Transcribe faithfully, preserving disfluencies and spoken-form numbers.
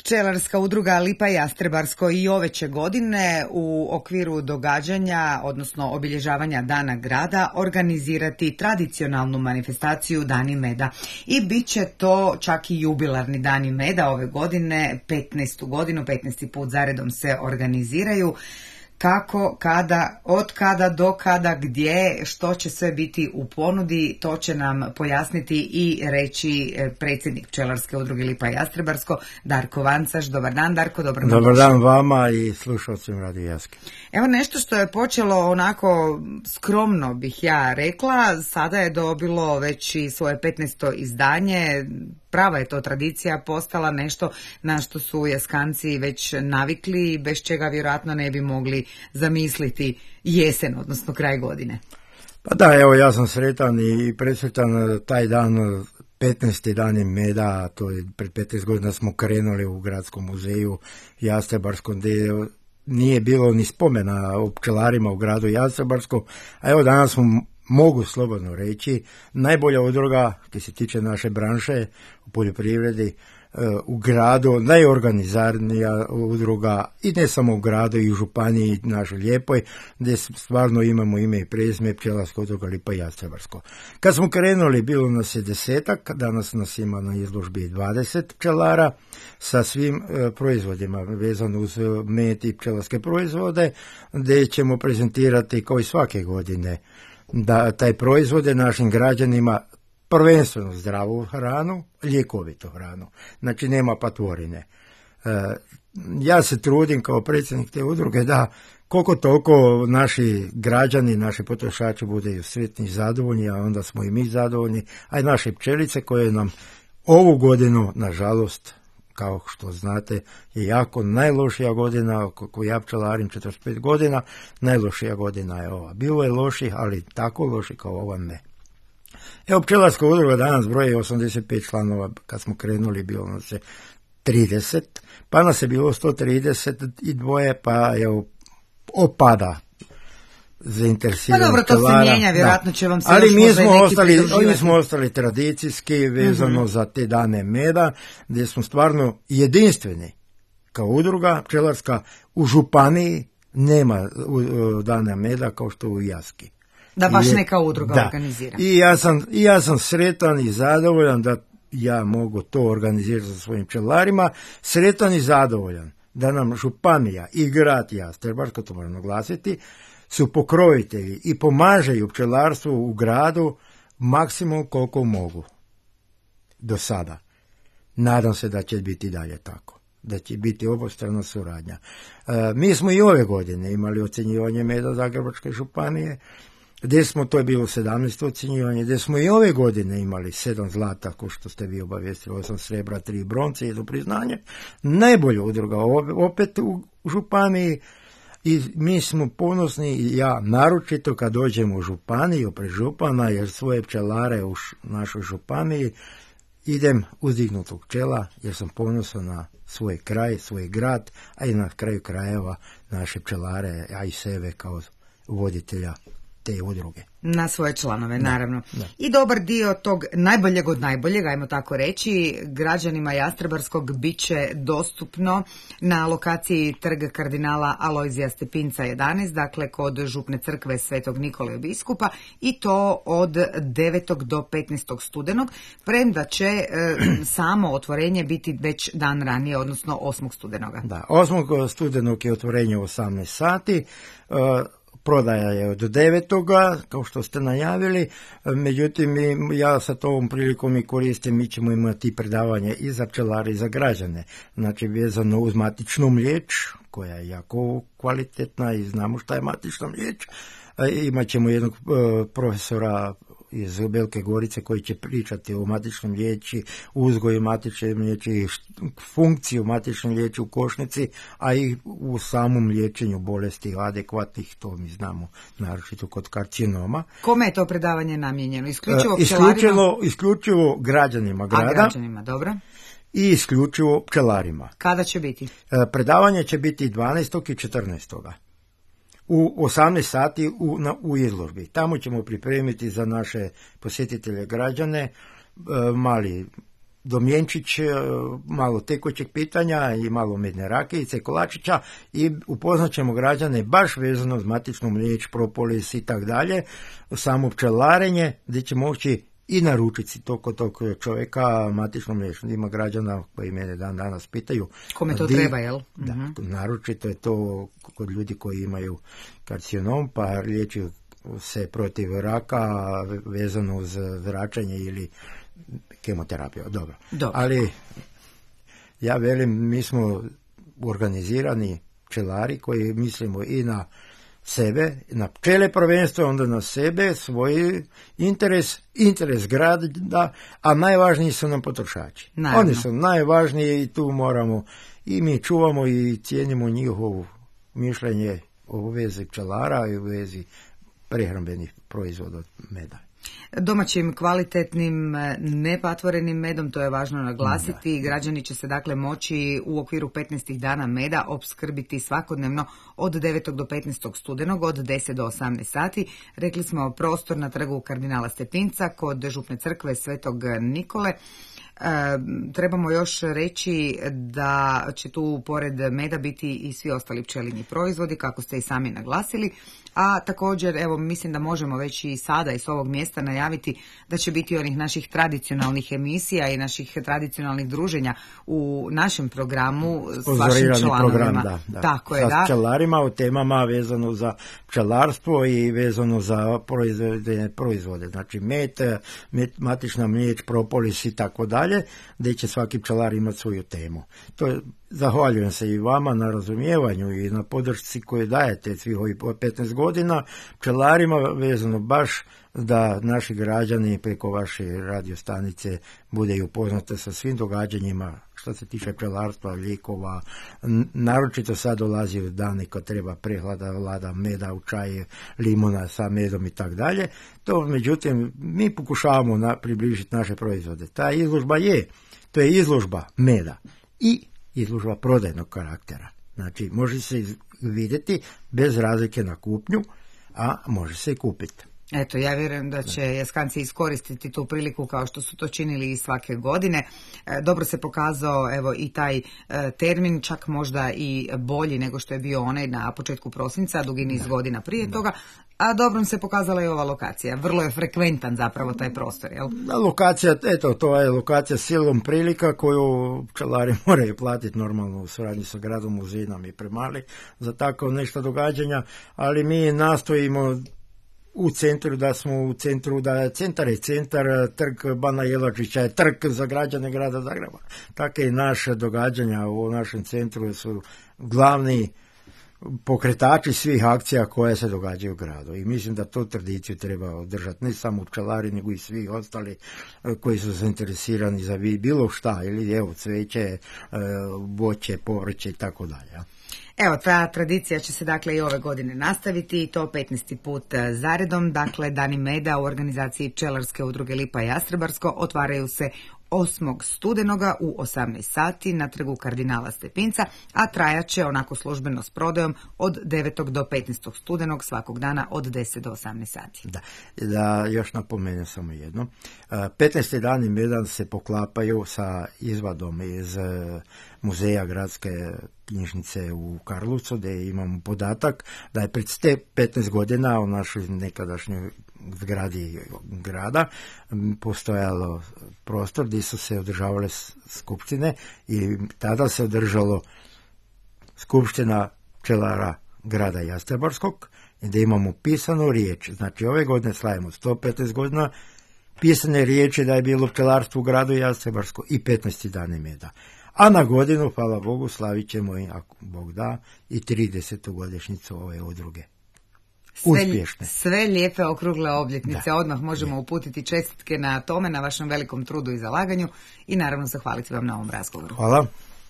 Pčelarska udruga Lipa Jastrebarsko i ove će godine u okviru događanja, odnosno obilježavanja Dana grada, organizirati tradicionalnu manifestaciju Dani meda. I bit će to čak i jubilarni Dani meda ove godine, petnaestu godinu, petnaesti put zaredom se organiziraju. Kako, kada, od kada do kada, gdje, što će sve biti u ponudi, to će nam pojasniti i reći predsjednik Pčelarske udruge Lipa Jastrebarsko, Darko Vancaš. Dobar dan, Darko, dobro nam Dobar dan vama i slušalcima Radio Jaske. Evo nešto što je počelo onako skromno, bih ja rekla, sada je dobilo već i svoje petnaesto izdanje. Prava je to tradicija postala, nešto na što su Jaskanci već navikli i bez čega vjerojatno ne bi mogli zamisliti jesen, odnosno kraj godine. Pa da, evo ja sam sretan i presretan taj dan, petnaesti dani meda, to je pred petnaest godina smo krenuli u Gradskom muzeju Jastrebarskom, gdje nije bilo ni spomena o pčelarima u gradu Jastrebarskom, a evo danas smo, mogu slobodno reći, najbolja udruga koji se tiče naše branše u poljoprivredi u gradu, najorganizarnija udruga i ne samo u gradu i u županiji našoj lijepoj, gdje stvarno imamo ime i prezime Pčelarska udruga Lipa Jastrebarsko. Kad smo krenuli bilo nas je desetak, danas nas ima na izložbi dvadeset pčelara sa svim e, proizvodima vezano uz med i pčelarske proizvode, gdje ćemo prezentirati kao i svake godine da taj proizvode našim građanima prvenstveno zdravu hranu, ljekovitu hranu. Znači nema patvorine. E, ja se trudim kao predsjednik te udruge da koliko toliko naši građani, naši potrošači budu sretni i zadovoljni, a onda smo i mi zadovoljni, a i naše pčelice koje nam ovu godinu, nažalost, kao što znate, je jako najlošija godina, kako ja pčelarim četrdeset pet godina, najlošija godina je ova. Bilo je loših, ali tako loši kao ova ne. Evo, Pčelarska udruga danas broji osamdeset pet članova, kad smo krenuli bilo nas je trideset, pa nas je bilo sto trideset dva, pa evo, opada zainteresirani. Pa dobro, to pčelara, se mijenja, vjerojatno će vam se ali još mi možda smo, neki ostali, pridruživati. mi smo ostali tradicijski vezano Mm-hmm. za te dane meda, gdje smo stvarno jedinstveni kao udruga pčelarska. U županiji nema uh, dana meda kao što u Jaski. Da baš I, neka udruga da. organizira. I ja sam, i ja sam sretan i zadovoljan da ja mogu to organizirati sa svojim pčelarima, sretan i zadovoljan da nam županija i grad Jastrebarsko, to moram naglasiti, su pokrovitelji i pomažaju pčelarstvu u gradu maksimum koliko mogu do sada. Nadam se da će biti dalje tako, da će biti obostrana suradnja. E, mi smo i ove godine imali ocjenjivanje meda Zagrebačke županije, gdje smo, to je bilo sedamnaesto ocjenjivanje, gdje smo i ove godine imali sedam zlata, ko što ste vi obavijestili, osam srebra, tri bronce i jedno priznanje. Najbolja udruga opet u županiji i mi smo ponosni, i ja naročito kad dođemo u županiju pred župana, jer svoje pčelare u š, našoj županiji idem uzdignutog pčela, jer sam ponosan na svoj kraj, svoj grad, a i na kraju krajeva naše pčelare, a i sebe kao voditelja te udruge. Na svoje članove, naravno. Da, da. I dobar dio tog najboljeg od najboljeg, ajmo tako reći, građanima Jastrebarskog bit će dostupno na lokaciji Trg kardinala Alojzija Stepinca jedanaest, dakle kod župne crkve Svetog Nikole biskupa, i to od devetog do petnaestog studenog, premda će e, samo otvorenje biti već dan ranije, odnosno osmog studenoga. Da, osmog studenog je otvorenje u osamnaest sati, e, prodaja je od devetoga, kao što ste najavili, međutim ja sa ovom prilikom i koristim, mi ćemo imati predavanje i za pčelare i za građane, znači vezano uz matičnu mliječ, koja je jako kvalitetna i znamo šta je matična mliječ. Imat ćemo jednog profesora iz Velike Gorice koji će pričati o matičnom mliječi, uzgoju matične mliječi, funkciju matične mliječi u košnici, a i u samom liječenju bolesti adekvatnih, to mi znamo, naročito kod karcinoma. Kome je to predavanje namijenjeno? Isključivo e, pčelarima? Isključivo, isključivo građanima grada. A građanima, dobro. I isključivo pčelarima. Kada će biti? E, predavanje će biti dvanaestog i četrnaestog u osamnaest sati u, na, u izložbi. Tamo ćemo pripremiti za naše posjetitelje građane e, mali domjenčić, malo tekućeg pitanja i malo medne rakijice, kolačića i upoznat ćemo građane baš vezano uz matičnu mliječ, propolis i tak dalje, samo pčelarenje, gdje će moći i naručiti to kod tog čovjeka matično mliječ. Ima građana koji mene dan danas pitaju. Kome to di, treba, jel? Da, uh-huh. naročito je to kod ljudi koji imaju karcinom, pa liječi se protiv raka vezano uz zračenje ili kemoterapiju. Dobro. Dobro. Ali ja velim, mi smo organizirani pčelari koji mislimo i na sebe, na pčele prvenstvo, onda na sebe, svoj interes, interes grada, a najvažniji su nam potrošači. Naravno. Oni su najvažniji i tu moramo, i mi čuvamo i cijenimo njihovo mišljenje o vezi pčelara i u vezi prehrambenih proizvoda od meda. Domaćim, kvalitetnim, nepatvorenim medom, to je važno naglasiti. Da. Građani će se dakle moći u okviru petnaest dana meda opskrbiti svakodnevno od devetog do petnaestog studenog od deset do osamnaest sati. Rekli smo prostor na trgu kardinala Stepinca kod župne crkve Svetog Nikole. E, trebamo još reći da će tu pored meda biti i svi ostali pčelinji proizvodi, kako ste i sami naglasili, a također evo mislim da možemo već i sada iz ovog mjesta najaviti da će biti onih naših tradicionalnih emisija i naših tradicionalnih druženja u našem programu s vašim članovima. Program, da, da. Tako je, sa da. pčelarima u temama vezano za pčelarstvo i vezano za proizvode, proizvode. Znači med, med, matična mliječ, propolis i tako dalje, gdje će svaki pčelar imati svoju temu. To je, zahvaljujem se i vama na razumijevanju i na podršci koju dajete svih ovih petnaest godina pčelarima, vezano baš da naši građani preko vaše radiostanice bude i upoznate sa svim događanjima što se tiče pčelarstva, lijekova. Naročito sad dolazi u dane kad treba prehlada, vlada meda u čaje, limuna sa medom i tak dalje. To, međutim, mi pokušavamo na, približiti naše proizvode. Ta izložba je, to je izložba meda i izložba prodajnog karaktera. Znači, može se vidjeti bez razlike na kupnju, a može se i kupiti. Eto, ja vjerujem da će Jaskanci iskoristiti tu priliku kao što su to činili i svake godine. E, dobro se pokazao evo i taj e, termin, čak možda i bolji nego što je bio onaj na početku prosinca, dugi niz da. godina prije da. toga. A dobrom se pokazala i ova lokacija. Vrlo je frekventan zapravo taj prostor, jel? Lokacija, eto, to je lokacija silom prilika koju pčelari moraju platiti normalno u suradnji sa gradom, muzinom i premali za tako nešto događanja, ali mi nastojimo u centru, da smo u centru, da centar je centar, trg Bana Jelačića je trg za građane grada Zagreba. Tako i naše događanja u našem centru su glavni pokretači svih akcija koje se događaju u gradu. I mislim da tu tradiciju treba održati, ne samo pčelari, nego i svi ostali koji su zainteresirani za bilo šta, ili evo cveće, voće, povrće i tako dalje. Evo, ta tradicija će se dakle i ove godine nastaviti i to petnaesti put zaredom. Dakle, Dani meda u organizaciji Pčelarske udruge Lipa i Jastrebarsko otvaraju se osmog studenoga u osamnaest sati na trgu kardinala Stepinca, a trajaće onako službeno s prodajom od devetog do petnaestog studenog svakog dana od deset do osamnaest sati. Da, da još napomenem samo jedno. petnaest dani meda se poklapaju sa izvadom iz muzeja gradske knjižnice u Karlovcu, gdje imamo podatak da je pred petnaest godina u našoj nekadašnjoj zgradi grada postojalo prostor gdje su se održavale skupštine i tada se održalo skupština pčelara grada Jastrebarskog, gdje imamo pisanu riječ. Znači ove godine slavimo sto petnaest godina pisane riječi da je bilo pčelarstvo u gradu Jastrebarsko i petnaest dani meda. A na godinu, hvala Bogu, slavit ćemo, ako Bog da, i tridesetu godišnjicu ove udruge. Uspješne. Sve, sve lijepe okrugle obljetnice. Da. Odmah možemo da. uputiti čestitke na tome, na vašem velikom trudu i zalaganju i naravno zahvaliti vam na ovom razgovoru. Hvala.